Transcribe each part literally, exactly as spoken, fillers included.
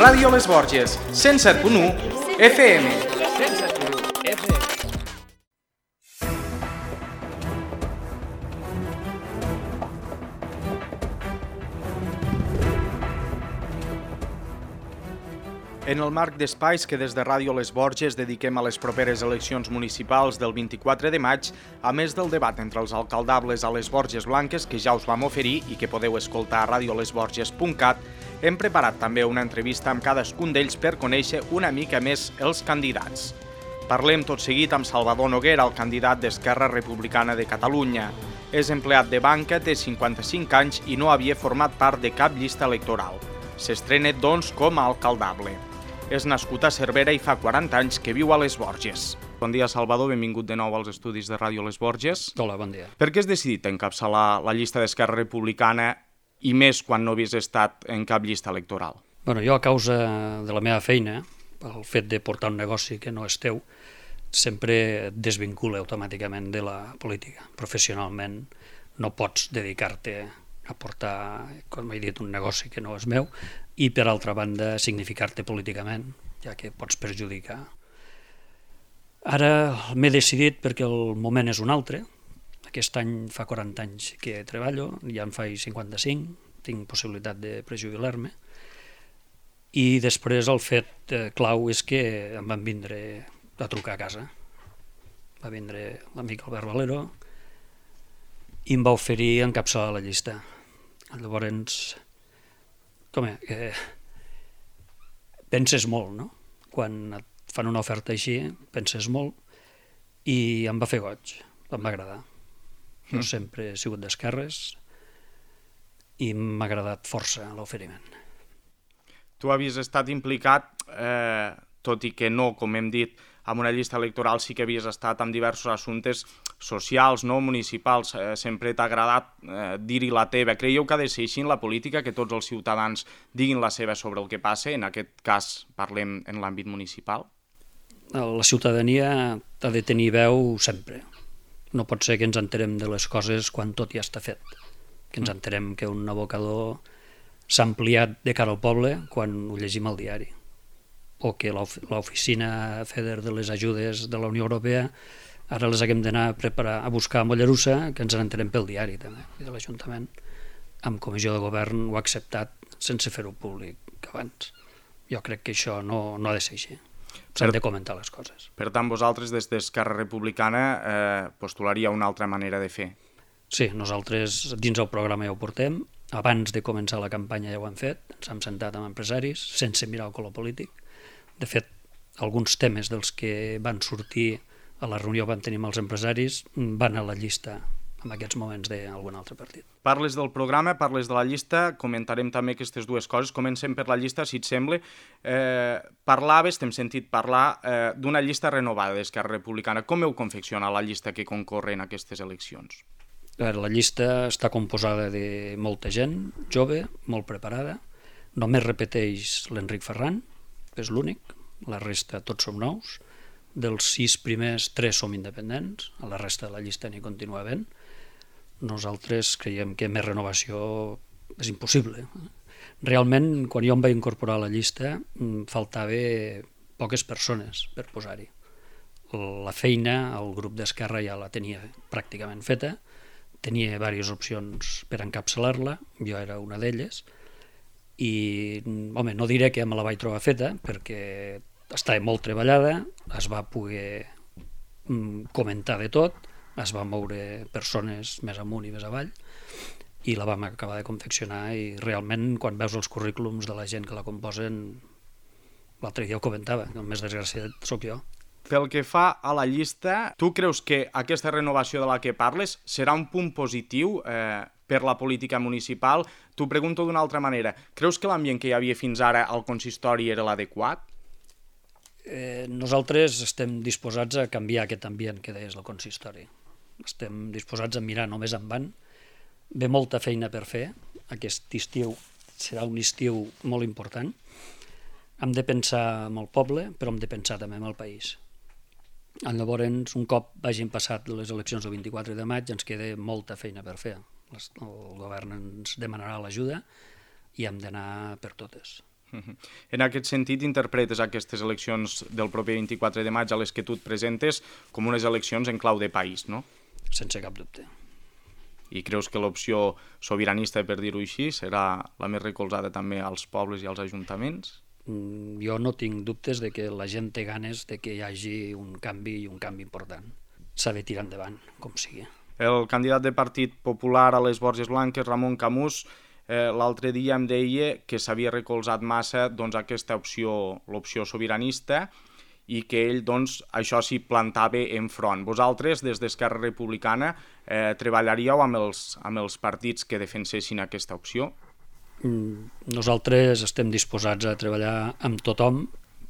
Ràdio Les Borges, cent set punt u F M. cent set punt u F M. En el marc d'espais que des de Ràdio Les Borges dediquem a les properes eleccions municipals del vint-i-quatre de maig, a més del debat entre els alcaldables a les Borges Blanques, que ja us vam oferir i que podeu escoltar a radio les borges punt cat, hem preparat també una entrevista amb cadascun d'ells per conèixer una mica més els candidats. Parlem tot seguit amb Salvador Noguera, el candidat d'Esquerra Republicana de Catalunya. És empleat de banca, té cinquanta-cinc anys i no havia format part de cap llista electoral. S'estrena, doncs, com a alcaldable. És nascut a Cervera i fa quaranta anys que viu a Les Borges. Bon dia, Salvador, benvingut de nou als estudis de Ràdio Les Borges. Hola, bon dia. Per què has decidit encapçalar la llista d'Esquerra Republicana i més quan no havies estat en cap llista electoral? Bueno, jo, a causa de la meva feina, pel fet de portar un negoci que no és teu, sempre et desvincula automàticament de la política. Professionalment no pots dedicar-te a portar, com he dit, un negoci que no és meu, i per altra banda significar-te políticament, ja que pots perjudicar. Ara m'he decidit perquè el moment és un altre. Aquest any fa quaranta anys que treballo, ja en faig cinquanta-cinc, tinc possibilitat de prejubilar-me, i després el fet clau és que em van vindre a trucar a casa. Va vindre l'amic Albert Valero i em va oferir encapçalar la llista. Llavors, com és, que penses molt, no? Quan et fan una oferta així, penses molt, i em va fer goig, em va agradar. Jo mm. sempre he sigut d'esquerres i m'ha agradat força l'oferiment. Tu havies estat implicat, eh, tot i que no, com hem dit, amb una llista electoral sí que havies estat amb diversos assumptes socials, no municipals. Eh, sempre t'ha agradat eh, dir-hi la teva. Creieu que ha de ser així en la política, que tots els ciutadans diguin la seva sobre el que passa? En aquest cas parlem en l'àmbit municipal. La ciutadania ha de tenir veu sempre. No pot ser que ens enterem de les coses quan tot ja està fet. Que ens enterem que un abocador s'ha ampliat de cara al poble quan ho llegim al diari. O que l'oficina FEDER de les ajudes de la Unió Europea ara les haguem d'anar a preparar a buscar a Mollerussa, que ens n'enterem pel diari també, i de l'Ajuntament. Amb comissió de govern ho ha acceptat sense fer-ho públic abans. Jo crec que això no, no ha de ser així. S'han de comentar les coses. Per tant, vosaltres des d'Esquerra Republicana eh, postularia una altra manera de fer? Sí, nosaltres dins el programa ja ho portem. Abans de començar la campanya ja ho hem fet. Ens hem sentat amb empresaris, sense mirar el color polític. De fet, alguns temes dels que van sortir a la reunió que vam tenir amb els empresaris van a la llista en aquests moments d'algun altre partit. Parles del programa, parles de la llista, comentarem també aquestes dues coses. Comencem per la llista, si et sembla. Eh, parlaves, t'hem sentit parlar, eh, d'una llista renovada d'Esquerra Republicana. Com heu confeccionat la llista que concorre en aquestes eleccions? A veure, la llista està composada de molta gent, jove, molt preparada. Només repeteix l'Enric Ferran, és l'únic, la resta tots som nous. Dels sis primers, tres som independents, a la resta de la llista n'hi continua havent. Nosaltres creiem que més renovació és impossible. Realment, quan jo em vaig incorporar a la llista, faltava poques persones per posar-hi. La feina, el grup d'Esquerra ja la tenia pràcticament feta, tenia diverses opcions per encapçalar-la, jo era una d'elles, i, home, no diré que me la vaig trobar feta, perquè estava molt treballada, es va poder comentar de tot, es van moure persones més amunt i més avall, i la vam acabar de confeccionar, i realment, quan veus els currículums de la gent que la composen, l'altre dia ho comentava, el més desgraciat sóc jo. Pel que fa a la llista, tu creus que aquesta renovació de la que parles serà un punt positiu eh, per la política municipal? T'ho pregunto d'una altra manera. Creus que l'ambient que hi havia fins ara al consistori era l'adequat? Eh, nosaltres estem disposats a canviar aquest ambient que deies del consistori. Estem disposats a mirar només endavant. Ve molta feina per fer. Aquest estiu serà un estiu molt important. Hem de pensar en el poble, però hem de pensar també en el país. Llavors, un cop hagin passat les eleccions del vint-i-quatre de maig, ens queda molta feina per fer. El govern ens demanarà l'ajuda i hem d'anar per totes. En aquest sentit, interpretes aquestes eleccions del proper vint-i-quatre de maig a les que tu et presentes com unes eleccions en clau de país, no? Sense cap dubte. I creus que l'opció sobiranista, per dir-ho així, serà la més recolzada també als pobles i als ajuntaments? Jo no tinc dubtes de que la gent té ganes de que hi hagi un canvi i un canvi important. S'ha de tirar endavant, com sigui. El candidat del Partit Popular a les Borges Blanques, Ramon Camús, eh, l'altre dia em deia que s'havia recolzat massa doncs, aquesta opció, l'opció sobiranista, i que ell, doncs, això s'hi plantava enfront. Vosaltres, des d'Esquerra Republicana, eh, treballaríeu amb els, amb els partits que defensessin aquesta opció? Nosaltres estem disposats a treballar amb tothom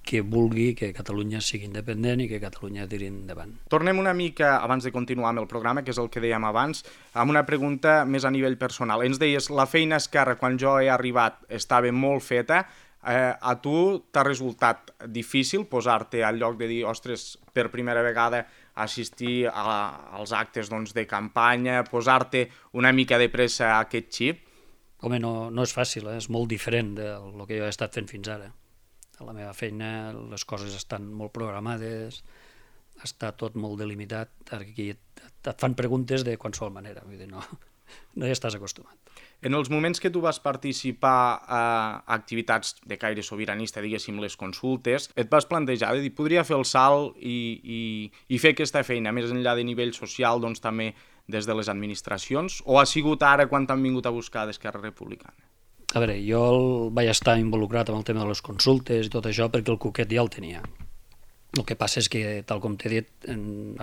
que vulgui que Catalunya sigui independent i que Catalunya tiri endavant. Tornem una mica, abans de continuar amb el programa, que és el que dèiem abans, amb una pregunta més a nivell personal. Ens deies, la feina a Esquerra, quan jo he arribat, estava molt feta. Eh, a tu t'ha resultat difícil posar-te al lloc de dir, ostres, per primera vegada assistir a, als actes doncs, de campanya, posar-te una mica de pressa a aquest xip? Home, no, no és fàcil, eh? És molt diferent del que jo he estat fent fins ara. A la meva feina les coses estan molt programades, està tot molt delimitat, aquí et, et fan preguntes de qualsevol manera, vull dir, no, no hi estàs acostumat. En els moments que tu vas participar a activitats de caire sobiranista, diguéssim, les consultes, et vas plantejar de dir, podria fer el salt i, i, i fer aquesta feina, més enllà de nivell social, doncs també des de les administracions, o ha sigut ara quan t'han vingut a buscar d'Esquerra Republicana? A veure, jo vaig estar involucrat amb el tema de les consultes i tot això perquè el cuquet ja el tenia. El que passa és que, tal com t'he dit,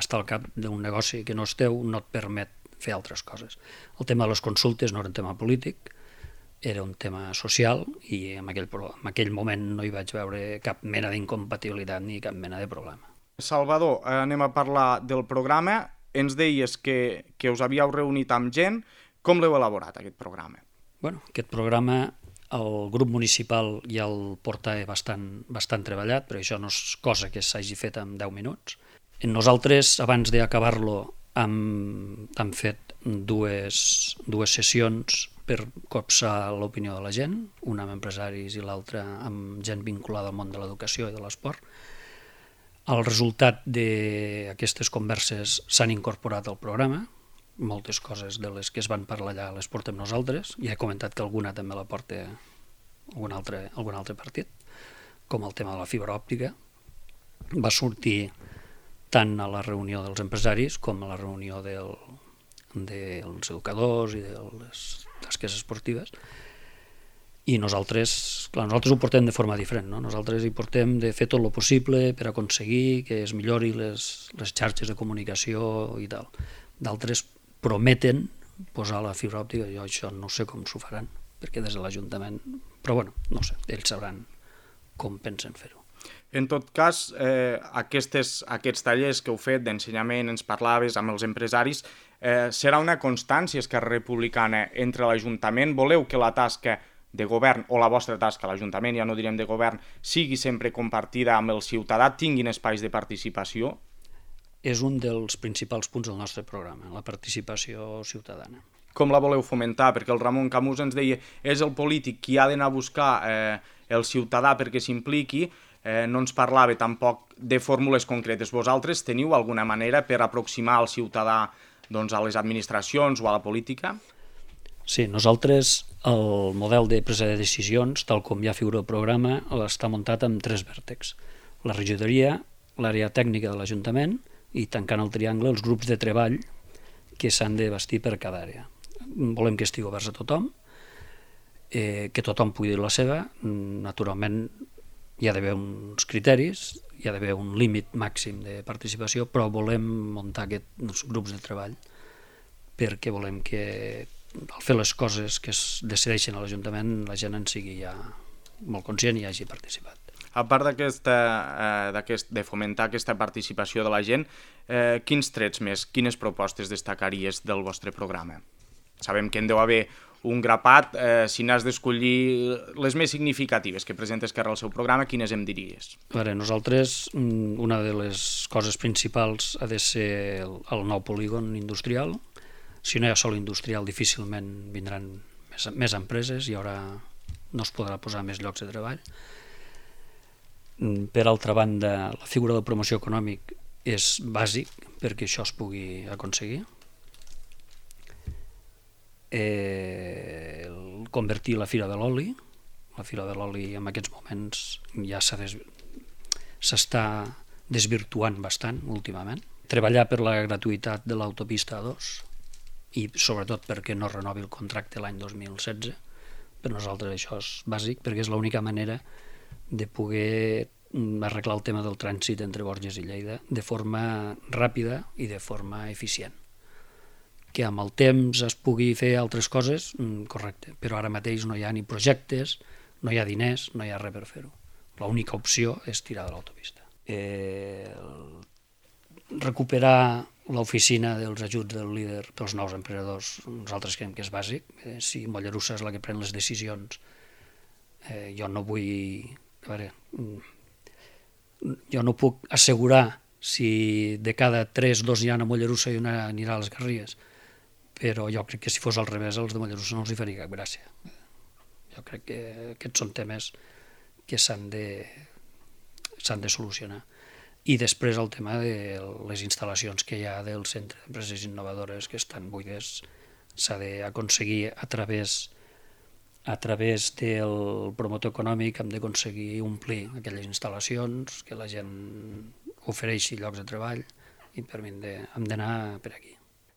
estar al cap d'un negoci que no és teu no et permet fer altres coses. El tema de les consultes no era un tema polític, era un tema social i en aquell, en aquell moment no hi vaig veure cap mena d'incompatibilitat ni cap mena de problema. Salvador, anem a parlar del programa. Ens deies que, que us havíeu reunit amb gent. Com l'heu elaborat, aquest programa? Bueno, aquest programa el grup municipal ja el porta bastant, bastant treballat, però això no és cosa que s'hagi fet en deu minuts. Nosaltres, abans d'acabar-lo, hem, hem fet dues, dues sessions per copsar l'opinió de la gent, una amb empresaris i l'altra amb gent vinculada al món de l'educació i de l'esport. El resultat d'aquestes converses s'han incorporat al programa, moltes coses de les que es van parlar allà les portem nosaltres, ja he comentat que alguna també la porta algun altre, algun altre partit, com el tema de la fibra òptica. Va sortir tant a la reunió dels empresaris com a la reunió del, dels educadors i de les tasques esportives. I nosaltres, clar, nosaltres ho portem de forma diferent, no? Nosaltres hi portem de fer tot el possible per aconseguir que es millori les, les xarxes de comunicació i tal. D'altres prometen posar la fibra òptica, jo això no sé com s'ho faran, perquè des de l'Ajuntament, però bueno, no sé, ells sabran com pensen fer-ho. En tot cas, eh, aquestes, aquests tallers que heu fet d'ensenyament, ens parlaves amb els empresaris, eh, serà una constància Esquerra Republicana entre l'Ajuntament? Voleu que la tasca de govern, o la vostra tasca a l'Ajuntament, ja no direm de govern, sigui sempre compartida amb el ciutadà, tinguin espais de participació? És un dels principals punts del nostre programa, la participació ciutadana. Com la voleu fomentar? Perquè el Ramon Camús ens deia és el polític qui ha d'anar a buscar eh, el ciutadà perquè s'impliqui, eh, no ens parlava tampoc de fórmules concretes. Vosaltres teniu alguna manera per aproximar el ciutadà doncs, a les administracions o a la política? Sí, nosaltres el model de presa de decisions, tal com ja figura el programa, està muntat amb tres vèrtexs. La regidoria, l'àrea tècnica de l'Ajuntament i tancant el triangle els grups de treball que s'han de bastir per cada àrea. Volem que estigui oberts a tothom, eh, que tothom pugui dir la seva. Naturalment hi ha d'haver uns criteris, hi ha d'haver un límit màxim de participació, però volem muntar aquests grups de treball perquè volem que al fer les coses que es decideixen a l'Ajuntament la gent en sigui ja molt conscient i hagi participat. A part d'aquesta, eh, d'aquest, de fomentar aquesta participació de la gent, eh, quins trets més, quines propostes destacaries del vostre programa? Sabem que en deu haver un grapat, eh, si n'has d'escollir les més significatives que presenta Esquerra al seu programa, quines em diries? A veure, nosaltres, una de les coses principals ha de ser el, el nou polígon industrial. Si no hi ha sol industrial, difícilment vindran més, més empreses, hi haurà no es podrà posar més llocs de treball. Per altra banda, la figura del promoció econòmic és bàsic perquè això es pugui aconseguir. Eh, convertir la Fira de l'Oli, la Fira de l'Oli en aquests moments ja s'ha des... s'està desvirtuant bastant últimament. Treballar per la gratuïtat de l'autopista A dos i sobretot perquè no renovi el contracte l'any dos mil setze. Per nosaltres això és bàsic perquè és l'única manera de poder arreglar el tema del trànsit entre Borges i Lleida de forma ràpida i de forma eficient. Que amb el temps es pugui fer altres coses, correcte, però ara mateix no hi ha ni projectes, no hi ha diners, no hi ha res per fer-ho. L'única opció és tirar de l'autopista. Eh, recuperar l'oficina dels ajuts del líder pels nous emprenedors, nosaltres creiem que és bàsic. Eh, si Mollerussa és la que pren les decisions, eh, jo no vull... A veure, jo no puc assegurar si de cada tres, dos hi ha a Mollerussa i una anirà a les Garrigues, però jo crec que si fos al revés els de Mollerussa no els hi faria cap gràcia. Jo crec que aquests són temes que s'han de, s'han de solucionar. I després el tema de les instal·lacions que hi ha del Centre d'Empreses Innovadores que estan buides, s'ha d'aconseguir a través a través del promotor econòmic, hem d'aconseguir omplir aquelles instal·lacions, que la gent ofereixi llocs de treball i per mi hem d'anar per aquí.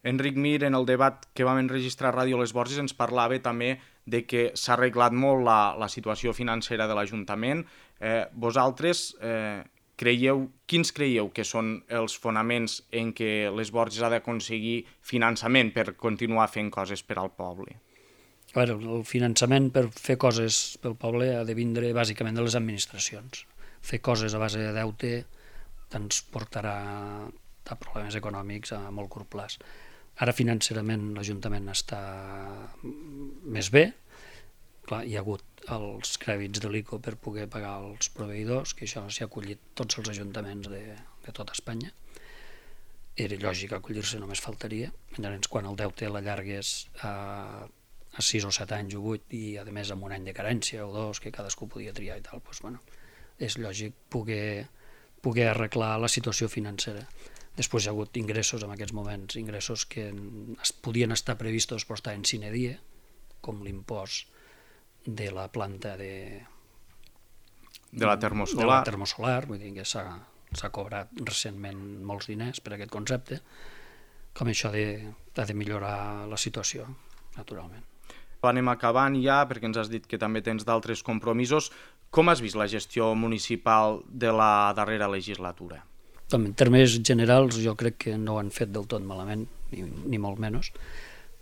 Enric Mir, en el debat que vam enregistrar a Ràdio Les Borges, ens parlava també de que s'ha arreglat molt la, la situació financera de l'Ajuntament. Eh, vosaltres eh, creieu, quins creieu que són els fonaments en què Les Borges ha d'aconseguir finançament per continuar fent coses per al poble? A veure, el finançament per fer coses pel poble ha de vindre bàsicament de les administracions. Fer coses a base de deute ens portarà a problemes econòmics a molt curt plaç. Ara financerament l'Ajuntament està més bé. Clar, hi ha hagut els crèdits de l'I C O per poder pagar els proveïdors, que això s'hi ha acollit tots els ajuntaments de, de tota Espanya. Era lògic acollir-se, només faltaria. Llavors, quan el deute l'allargués a a sis o set anys o vuit i a més amb un any de carència o dos que cadascú podia triar i tal, doncs, bueno, és lògic poder, poder arreglar la situació financera. Després hi ha hagut ingressos en aquests moments, ingressos que es podien estar previstos però estar en sine die, com l'impost de la planta de, de la termosolar, de la termosolar, vull dir que s'ha s'ha cobrat recentment molts diners per aquest concepte, com això ha de, ha de millorar la situació, naturalment. Anem acabant ja, perquè ens has dit que també tens d'altres compromisos. Com has vist la gestió municipal de la darrera legislatura? En termes generals jo crec que no ho han fet del tot malament, ni, ni molt menys.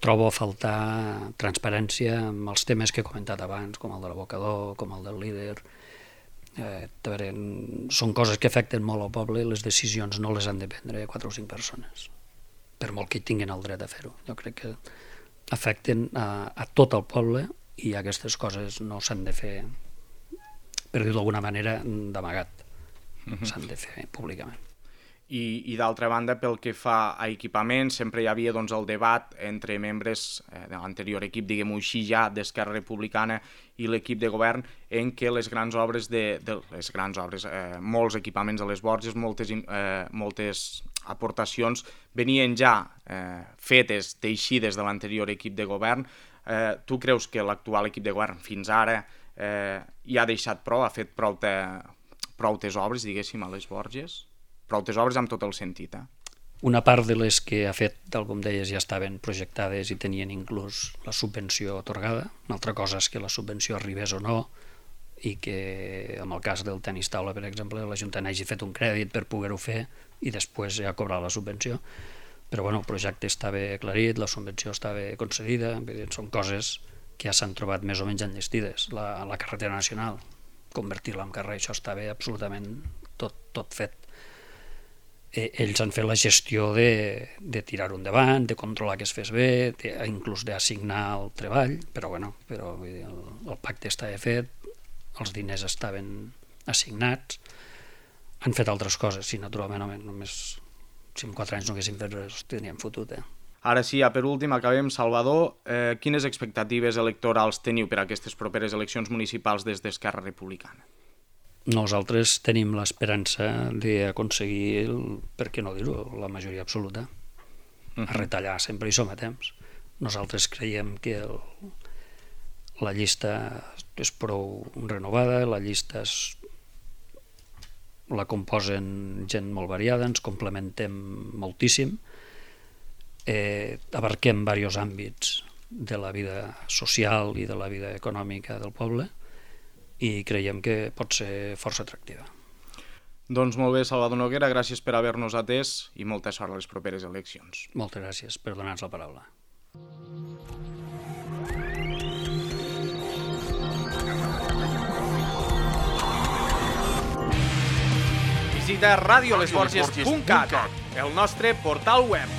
Trobo a faltar transparència amb els temes que he comentat abans, com el de l'abocador, com el del líder. Eh, veure, són coses que afecten molt al poble, les decisions no les han de prendre quatre o cinc persones, per molt que tinguin el dret a fer-ho. Jo crec que afecten a, a tot el poble i aquestes coses no s'han de fer, per dir-ho d'alguna manera, d'amagat. Uh-huh. S'han de fer públicament. I, i d'altra banda, pel que fa a equipaments, sempre hi havia doncs, el debat entre membres eh, de l'anterior equip, diguem-ho així ja, d'Esquerra Republicana i l'equip de govern, en què les grans obres, de, de les grans obres, eh, molts equipaments a les Borges, moltes, eh, moltes aportacions venien ja eh, fetes, teixides de l'anterior equip de govern. Eh, tu creus que l'actual equip de govern fins ara eh, ja ha deixat prou, ha fet prou, te, prou tes obres, diguéssim, a les Borges? Prou tes obres amb tot el sentit, eh? Una part de les que ha fet, tal com deies, ja estaven projectades i tenien inclús la subvenció atorgada. Una altra cosa és que la subvenció arribés o no i que, en el cas del tenis taula, per exemple, l'Ajuntament hagi fet un crèdit per poder-ho fer i després ja cobrar la subvenció. Però bueno, el projecte estava aclarit, la subvenció estava concedida, són coses que ja s'han trobat més o menys enllestides. La, la carretera nacional, convertir-la en carrer, això estava absolutament tot, tot fet. Ells han fet la gestió de, de tirar-ho endavant, de controlar que es fes bé, de, inclús d'assignar el treball, però, bueno, però vull dir, el, el pacte estava fet, els diners estaven assignats, han fet altres coses, sí, naturalment, home, només si en quatre anys no haguessin fet res, teníem fotut, eh? Ara sí, ja per últim, acabem. Salvador, eh, quines expectatives electorals teniu per a aquestes properes eleccions municipals des d'Esquerra Republicana? Nosaltres tenim l'esperança d'aconseguir, per què no dir-ho, la majoria absoluta. A retallar sempre hi som a temps. Nosaltres creiem que el, la llista és prou renovada, la llista és, la composen gent molt variada, ens complementem moltíssim, eh, abarquem diversos àmbits de la vida social i de la vida econòmica del poble i creiem que pot ser força atractiva. Doncs molt bé, Salvador Noguera, gràcies per haver-nos atès i molta sort a les properes eleccions. Moltes gràcies per donar-nos la paraula. Visita radio les borges punt cat, el nostre portal web.